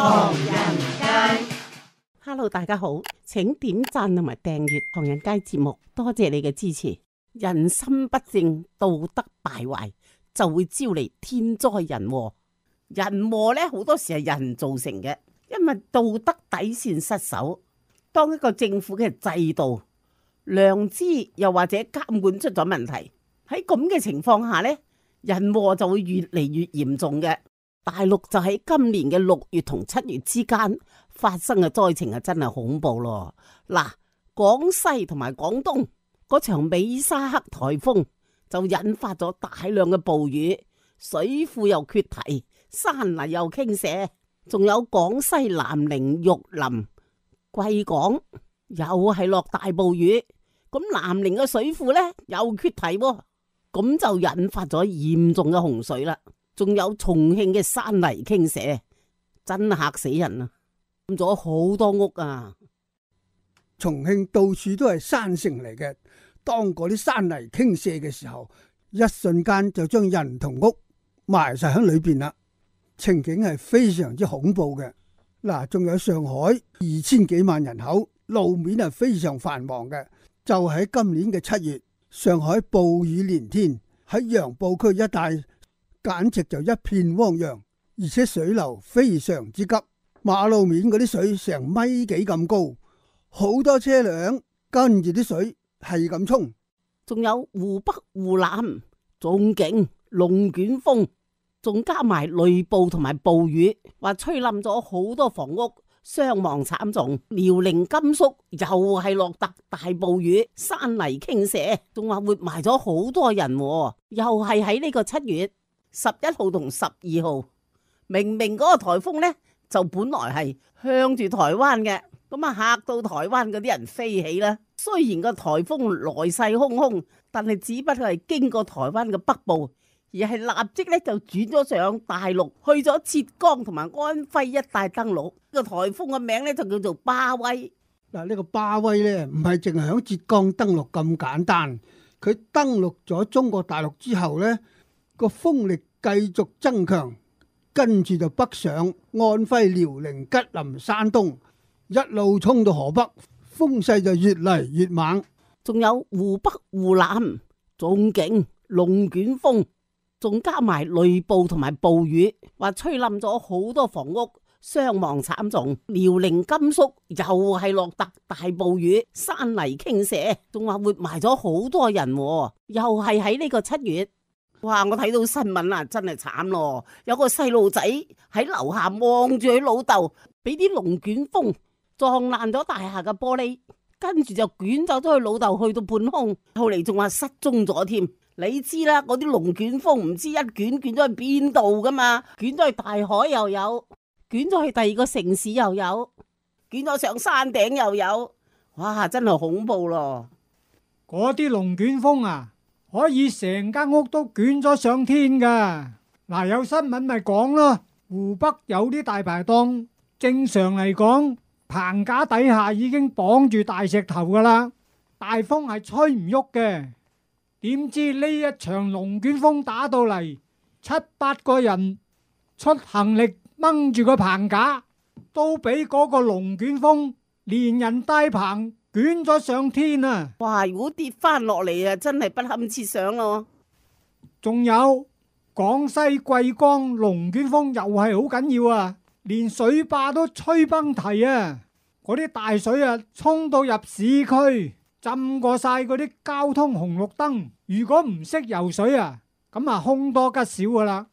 唐人街。Hello， 大家好，請點讚同埋訂閱唐人街節目，多謝你嘅支持。人心不正，道德敗壞，就會招嚟天災人禍。人禍呢，好多時係人造成嘅，因為道德底線失守。當一個政府嘅制度、良知又或者監管出咗問題，喺咁嘅情況下呢，人禍就會越嚟越嚴重嘅。大陸就喺今年嘅6月同7月之間發生嘅災情真係恐怖咯。嗱，廣西同埋廣東嗰場美沙克颱風就引發咗大量嘅暴雨，水庫又決堤，山泥又傾瀉，仲有廣西南寧、玉林、貴港又係落大暴雨，咁南寧嘅水庫呢又決堤，咁就引發咗嚴重嘅洪水啦。仲有重慶嘅山泥傾瀉，真嚇死人啊！冧咗好多屋啊！重慶到處都係山城嚟嘅，當嗰啲山泥傾瀉嘅時候，一瞬間就將人同屋埋晒喺裏邊啦，情景係非常之恐怖嘅。嗱，仲有上海2000幾萬人口，路面係非常繁忙嘅。就喺今年嘅7月，上海暴雨連天，喺楊浦區一帶簡直就一片汪洋，而且水流非常之急，馬路面嗰啲水成米幾咁高，好多車輛跟住啲水係咁衝。仲有湖北、湖南仲勁龍捲風，仲加埋雷暴同埋暴雨，話吹冧咗好多房屋，傷亡慘重。遼寧、甘肅又係落大暴雨，山泥傾瀉，仲話活埋咗好多人，又係喺呢個7月11號同12號，明明嗰個颱風呢，就本來係向住台灣嘅，咁啊嚇到台灣嗰啲人飛起啦。雖然個颱風來勢洶洶，但係只不過係經過台灣嘅北部，而係立即咧就轉咗上大陸，去咗浙江同埋安徽一帶登陸。個颱風嘅名咧就叫做巴威。嗱，呢個巴威呢，唔係淨係響浙江登陸咁簡單，佢登陸咗中國大陸之後呢，個風力繼續增強，跟住就北上安徽、遼寧、吉林、山東，一路衝到河北，風勢就越嚟越猛。仲有湖北、湖南仲勁龍捲風，仲加埋雷暴同埋暴雨，話吹冧咗好多房屋，傷亡慘重。遼寧、甘肅又係落大暴雨，山泥傾瀉，仲話活埋咗好多人，又係喺呢個7月。哇！我睇到新聞啊，真係慘咯！有個細路仔喺樓下望住佢老豆，俾啲龍捲風撞爛咗大廈嘅玻璃，跟住就捲走咗佢老豆去到半空，後嚟仲話失蹤咗添。你知啦，嗰啲龍捲風唔知一捲咗去邊度噶嘛？捲咗去大海又有，捲咗去第二個城市又有，捲咗上山頂又有。哇！真係恐怖咯！嗰啲龍捲風啊！可以成間屋都捲咗上天噶。嗱，有新聞咪講咯，湖北有啲大排檔，正常嚟講，棚架底下已經綁住大石頭噶啦，大風係吹唔喐嘅。點知呢一場龍捲風打到嚟，7-8個人出行力掹住個棚架，都俾嗰個龍捲風連人帶棚捲咗上天啊！哇！如果跌翻落嚟啊，真係不堪設想咯。仲有廣西貴江龍捲風又係好緊要啊，連水壩都吹崩堤啊！嗰啲大水啊，衝到入市區，浸過晒嗰啲交通紅綠燈。如果唔識游水啊，咁啊凶多吉少噶啦。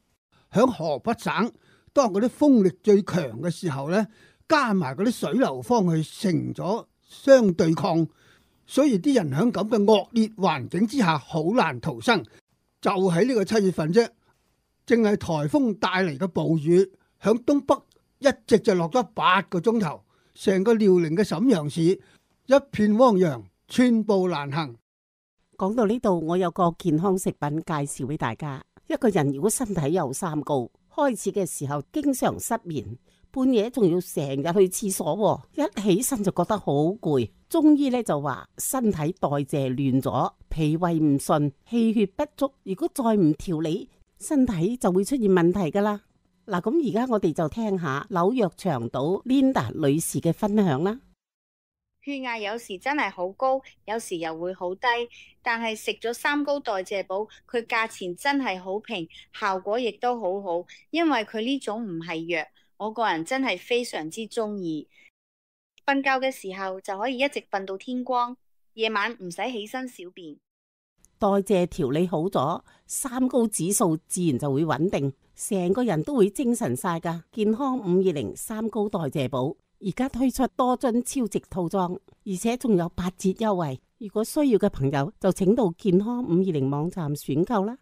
響河北省，當嗰啲風力最強嘅時候呢，加埋嗰啲水流方去成咗相對抗，所以啲人喺咁嘅惡劣環境之下好難逃生。就喺呢個7月份啫，淨係颱風帶嚟嘅暴雨，響東北一直就落咗8個鐘頭，成個遼寧嘅瀋陽市一片汪洋，寸步難行。講到呢度，我有個健康食品介紹俾大家。一個人如果身體有三高，開始嘅時候經常失眠，半夜仲要成日去廁所，一起身就覺得好攰。中醫咧就話身體代謝亂咗，脾胃唔順，氣血不足。如果再唔調理，身體就會出現問題噶啦。嗱，咁而家我哋就聽下紐約長島 Linda 女士嘅分享啦。血壓有時真係好高，有時又會好低，但係食咗三高代謝寶，佢價錢真係好平，效果亦都好好，因為佢呢種唔係藥，我個人真係非常之中意。瞓覺嘅時候就可以一直瞓到天光，夜晚唔使起身小便。代謝調理好咗，三高指數自然就會穩定，成個人都會精神晒噶。健康520三高代謝寶而家推出多樽超值套裝，而且仲有8折優惠。如果需要嘅朋友就請到健康520網站選購啦。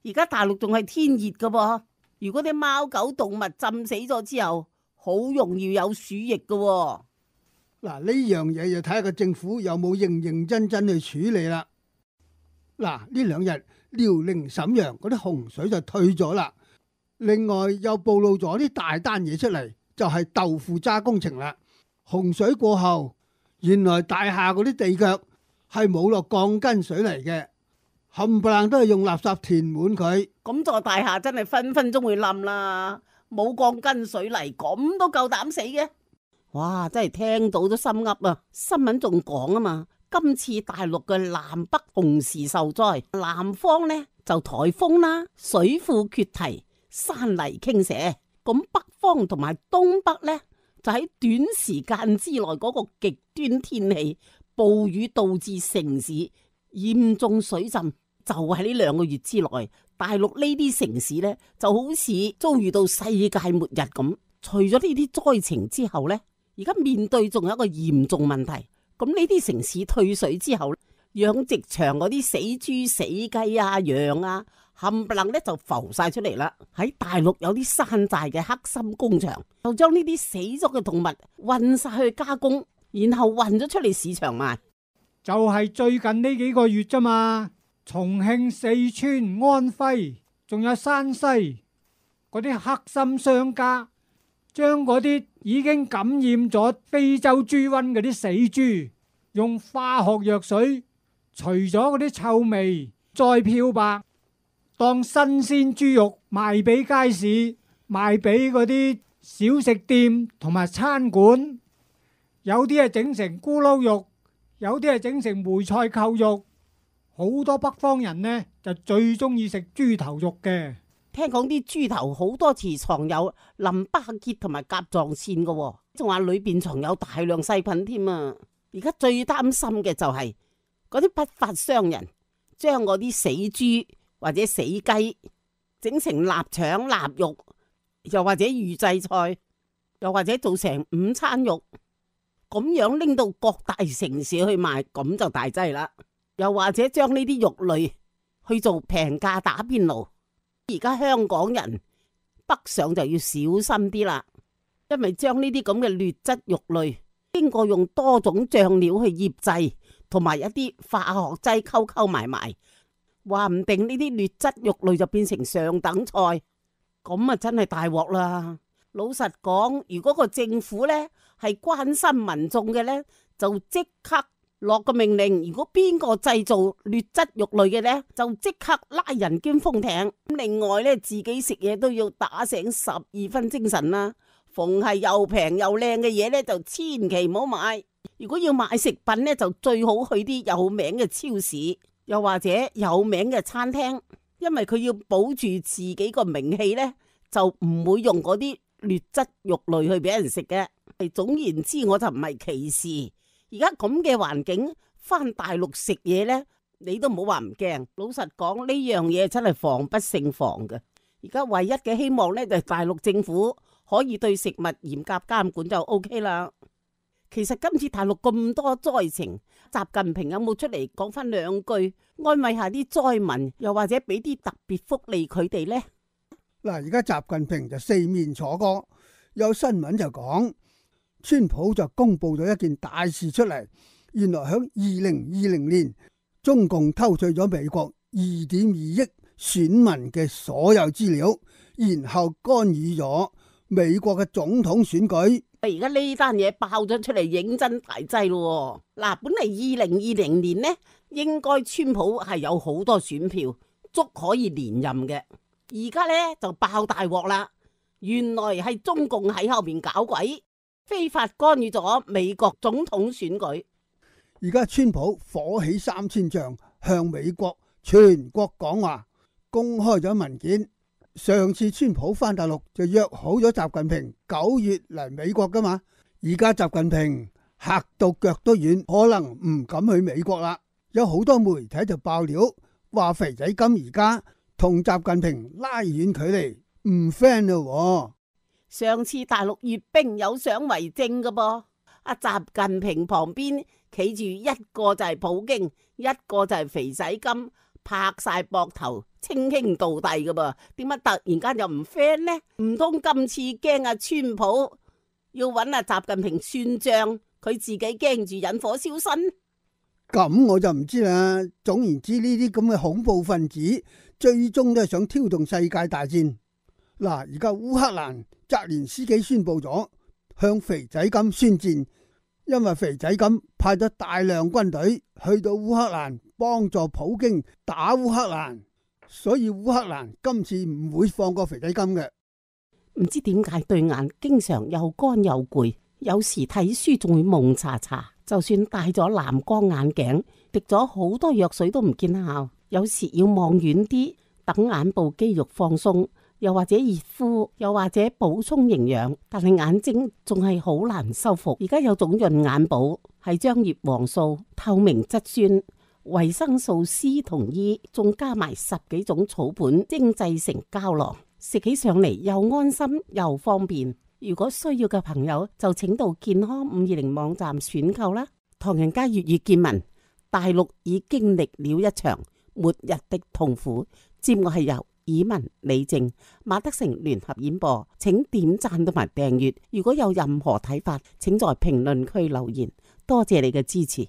而家大陸仲係天熱噶噃，如果啲貓狗動物浸死咗之後，好容易有鼠疫噶喎。嗱，呢樣嘢就睇下個政府有冇認真去處理啦。嗱，呢2日遼寧瀋陽嗰啲洪水就退咗啦，另外又暴露咗啲大單嘢出嚟，就係豆腐渣工程啦。洪水過後，原來大廈嗰啲地腳係冇落鋼筋水泥嘅，冚唪唥都係用垃圾填滿佢。咁座大廈真係分分鐘會冧啦，冇鋼筋水泥咁都夠膽死嘅。哇，真係聽到都心噏啊！新聞仲講啊嘛，今次大陸嘅南北同時受災，南方呢就颱風啦、水庫決堤、山泥傾瀉，咁北方同埋東北呢就喺短時間之內嗰個極端天氣，暴雨導致城市嚴重水浸，就喺呢2個月之內，大陸呢啲城市呢就好似遭遇到世界末日咁。除咗呢啲災情之後呢，而家面對仲有一個嚴重問題，咁呢啲城市退水之後，養殖場嗰啲死豬死雞啊、羊啊，冚唪唥咧就浮晒出嚟啦。喺大陸有啲山寨嘅黑心工場，就將呢啲死咗嘅動物運晒去加工，然後運咗出嚟市場賣。就係最近呢幾個月咋嘛，重慶、四川、安徽，仲有山西嗰啲黑心商家，將嗰啲已經感染咗非洲豬瘟嗰啲死豬，用化學藥水除咗嗰啲臭味，再漂白，當新鮮豬肉賣俾街市，賣俾嗰啲小食店同埋餐館。有啲係整成咕嚕肉，有啲係整成梅菜扣肉。好多北方人呢就最中意食豬頭肉嘅。聽講啲豬頭好多時藏有淋巴結同埋甲狀腺嘅，仲話裏邊藏有大量細菌添啊！而家最擔心嘅就係嗰啲不法商人將嗰啲死豬或者死雞整成臘腸、臘肉，又或者預製菜，又或者做成午餐肉，咁樣拎到各大城市去賣，咁就大劑啦。又或者將呢啲肉類去做平價打邊爐。而家香港人北上就要小心啲啦，因為將呢啲咁嘅劣質肉類經過用多種醬料去醃製，同埋一啲化學劑溝埋，話唔定呢啲劣質肉類就變成上等菜，咁啊真係大鑊啦！老實講，如果個政府呢係關心民眾嘅呢，就即刻落個命令，如果邊個製造劣質肉類嘅呢，就即刻拉人兼封艇。另外呢，自己食嘢都要打醒12分精神啦。逢係又平又靚嘅嘢呢，就千祈唔好買。如果要買食品呢，就最好去啲有名嘅超市，又或者有名嘅餐廳，因為佢要保住自己個名氣呢，就唔會用嗰啲劣質肉類去俾人食嘅。總言之，我就唔係歧視。而家咁嘅環境，翻大陸食嘢呢，你都唔好話唔驚。老實講，呢樣嘢真係防不勝防嘅。而家唯一嘅希望呢，就係大陸政府可以對食物嚴格監管就 OK 啦。其實今次大陸咁多災情，習近平有冇出嚟講翻2句安慰下啲災民，又或者俾啲特別福利佢哋呢？嗱，而家習近平就四面楚歌，有新聞就講，川普就公布咗一件大事出嚟，原來響2020年，中共偷取咗美國2.2億選民嘅所有資料，然後干預咗美國嘅總統選舉。而家呢單嘢爆咗出嚟，認真大劑咯。嗱，本嚟2020年呢，應該川普係有好多選票，足可以連任嘅。而家呢就爆大鑊啦！原來係中共喺後面搞鬼，非法干預咗美國總統選舉。而家川普火起3000丈，向美國全國講話，公開咗文件。上次川普返大陸就約好咗習近平9月嚟美國噶嘛，而家習近平嚇到腳都軟，可能唔敢去美國啦。有好多媒體就爆料話肥仔金而家同習近平拉遠距離，唔 friend 咯。上次大陸閱兵有相為證噶噃，阿習近平旁邊企住一個就係普京，一個就係肥仔金，拍晒膊頭，稱兄道弟噶噃。點解突然間又唔 friend 呢？唔通今次驚阿川普要揾阿習近平算賬，佢自己驚住引火燒身？咁我就唔知啦。總言之，呢啲咁嘅恐怖分子最終都係想挑動世界大戰。嗱，而家烏克蘭澤連斯基宣布咗向肥仔金宣戰，因為肥仔金派咗大量軍隊去到烏克蘭幫助普京打烏克蘭，所以烏克蘭今次唔會放過肥仔金嘅。唔知點解對眼經常又乾又攰，有時睇書仲會蒙查查，就算戴咗藍光眼鏡，滴咗好多藥水都唔見效。有時要望遠啲，等眼部肌肉放鬆，又或者熱敷，又或者補充營養，但係眼睛仲係好難修復。而家有種潤眼寶，係將葉黃素、透明質酸、維生素 C 同 E， 仲加埋10幾種草本精製成膠囊，食起上嚟又安心又方便。如果需要嘅朋友就請到健康520網站選購啦。唐人街粵語見聞，大陸已經歷了一場末日的痛苦。節目係由以文、李靜、馬德成聯合演播，請點讚同埋訂閱。如果有任何睇法，請在評論區留言。多謝你嘅支持。